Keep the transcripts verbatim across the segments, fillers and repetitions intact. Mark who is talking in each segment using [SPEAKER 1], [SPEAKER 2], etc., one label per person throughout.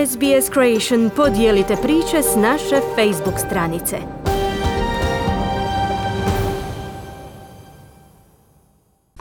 [SPEAKER 1] S B S Creation podijelite priče s naše Facebook stranice.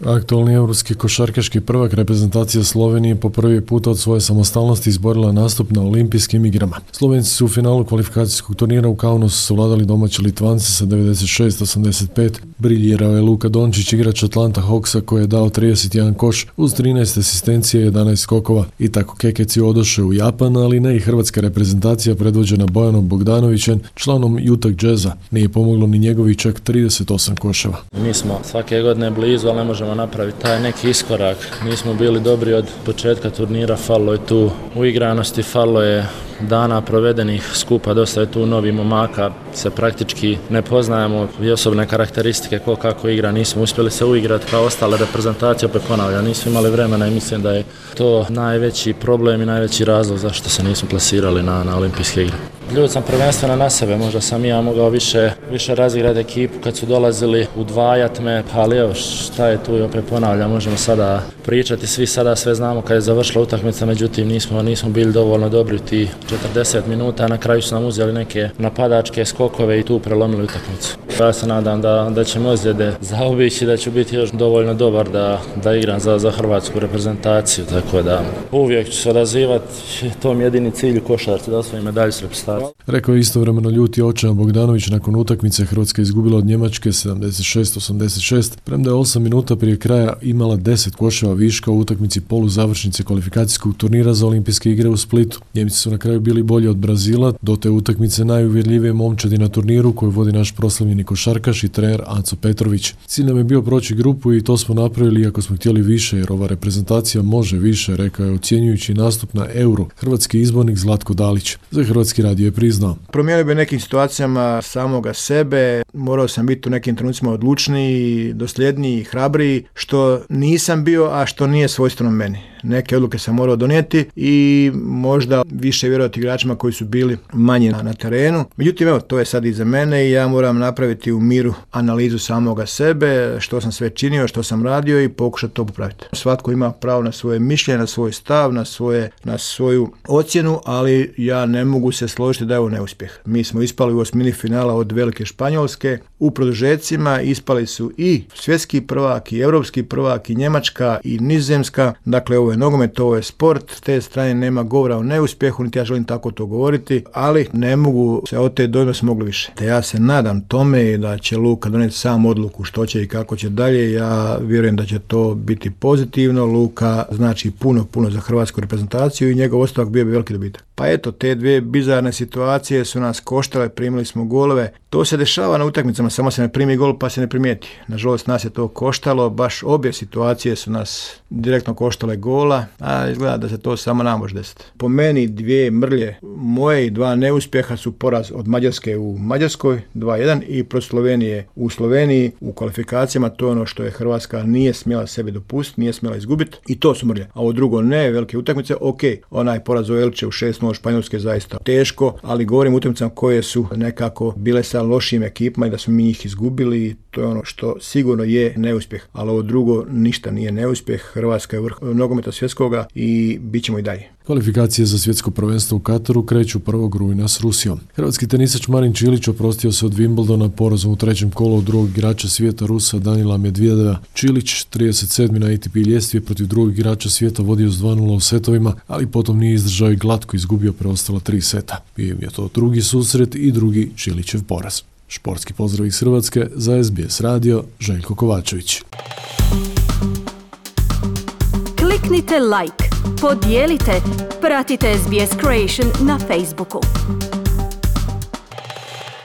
[SPEAKER 2] Aktualni europski košarkaški prvak reprezentacija Slovenije po prvi put od svoje samostalnosti izborila nastup na olimpijskim igrama. Slovenci su u finalu kvalifikacijskog turnira u Kaunasu savladali domaće Litvance sa devedeset šest osamdeset pet. Briljirao je Luka Dončić, igrač Atlanta Hawksa, koji je dao trideset jedan koš uz trinaest asistencija i jedanaest skokova. I tako Kekeci odoše u Japan, ali ne i hrvatska reprezentacija predvođena Bojanom Bogdanovićem, članom Utah Jazza. Nije pomoglo ni njegovi čak trideset osam koševa.
[SPEAKER 3] Mi smo svake godine blizu, ali ne možemo napraviti taj neki iskorak. Nismo bili dobri od početka turnira, falilo je tu uigranosti, falilo je dana provedenih skupa, dosta je tu novi momaka, se praktički ne poznajemo i osobne karakteristike ko kako igra, nismo uspjeli se uigrati kao ostale reprezentacije, opet ponavljam, nismo imali vremena i mislim da je to najveći problem i najveći razlog zašto se nismo plasirali na, na olimpijske igre. Ljud sam prvenstveno na sebe, možda sam ja mogao više, više razigrati ekipu kad su dolazili, udvajat me, ali evo šta je tu i opet ponavljam, možemo sada pričati, svi sada sve znamo kad je završila utakmica, međutim nismo, nismo bili dovoljno dobri ti četrdeset minuta, na kraju su nam uzeli neke napadačke skokove i tu prelomili utakmicu. Ja se nadam da, da ćemo ozljede zaobići, da ću biti još dovoljno dobar da, da igram za, za hrvatsku reprezentaciju, tako da uvijek ću se odazivati, to mi je jedini cilj u košarci, da osvojim medalju s reprezentacijom.
[SPEAKER 2] Rekao je istovremeno ljuti očajan Bogdanović nakon utakmice. Hrvatska izgubila od Njemačke sedamdeset šest osamdeset šest, premda je osam minuta prije kraja imala deset koševa viška u utakmici poluzavršnice kvalifikacijskog turnira za olimpijske igre u Splitu. Njemci su na kraju bili bolji od Brazila, do te utakmice najuvjerljivije momčadi na turniru koju vodi naš proslavljeni košarkaš i trener Aco Petrović. Cilj nam je bio proći grupu i to smo napravili iako smo htjeli više, jer ova reprezentacija može više, rekao je ocjenjujući nastup na Euro hrvatski izbornik Zlatko Dalić. Za Hrvatski radio je priznao.
[SPEAKER 4] Promijenio bi nekim situacijama samoga sebe, morao sam biti u nekim trenucima odlučniji, dosljedniji, hrabriji, što nisam bio, a što nije svojstveno meni. Neke odluke sam morao donijeti i možda više vjerovati igračima koji su bili manje na, na terenu. Međutim, evo, to je sad iza mene i ja moram napraviti u miru analizu samoga sebe, što sam sve činio, što sam radio i pokušati to popraviti. Svatko ima pravo na svoje mišljenje, na svoj stav, na, svoje, na svoju ocjenu, ali ja ne mogu se složiti da je ovo neuspjeh. Mi smo ispali u osmini finala od velike Španjolske, u produžecima ispali su i svjetski prvak, i europski prvak, i Njemačka, i Nizozemska. Dakle, ovo je nogomet, ovo je sport, s te strane nema govora o neuspjehu, niti ja želim tako to govoriti, ali ne mogu se od te dojme smo mogli više. Te ja se nadam tome i da će Luka donijeti sam odluku što će i kako će dalje. Ja vjerujem da će to biti pozitivno. Luka znači puno, puno za hrvatsku reprezentaciju i njegov ostavak bio bi veliki dobitak. Pa eto, te dvije bizarne situacije su nas koštale, primili smo golove. To se dešava na utakmicama, samo se ne primi gol pa se ne primijeti. Nažalost, nas je to koštalo, baš obje situacije su nas direktno koštale gola, a izgleda da se to samo nam može desiti. Po meni dvije mrlje moje i dva neuspjeha su poraz od Mađarske u Mađarskoj dva jedan i protiv Slovenije u Sloveniji u kvalifikacijama. To je ono što je Hrvatska nije smjela sebi dopustiti, nije smjela izgubiti i to su mrlje. A ovo drugo ne, velike utakmice, ok, onaj poraz u Elče u šest nula Španjolske je zaista teško, ali govorim utakmicama koje su nekako bile sa lošim ekipama i da smo mi njih izgubili, to je ono što sigurno je neuspjeh, ali ovo drugo ništa nije neuspjeh. Hrvatska je vrh nogometa svjetskoga i bit ćemo i dalje.
[SPEAKER 2] Kvalifikacije za svjetsko prvenstvo u Kataru kreću prvog rujna s Rusijom. Hrvatski tenisač Marin Čilić oprostio se od Wimbledona porazom u trećem kolu od drugog igrača svijeta Rusa Danila Medvedeva. Čilić, trideset sedmi na A T P ljestvi, protiv drugog igrača svijeta vodio s dva nula u setovima, ali potom nije izdržao i glatko izgubio preostala tri seta. Bio je to drugi susret i drugi Čilićev poraz. Športski pozdrav iz Hrvatske za S B S radio, Željko Kovačević.
[SPEAKER 1] Kliknite like, podijelite, pratite S B S Creation na Facebooku.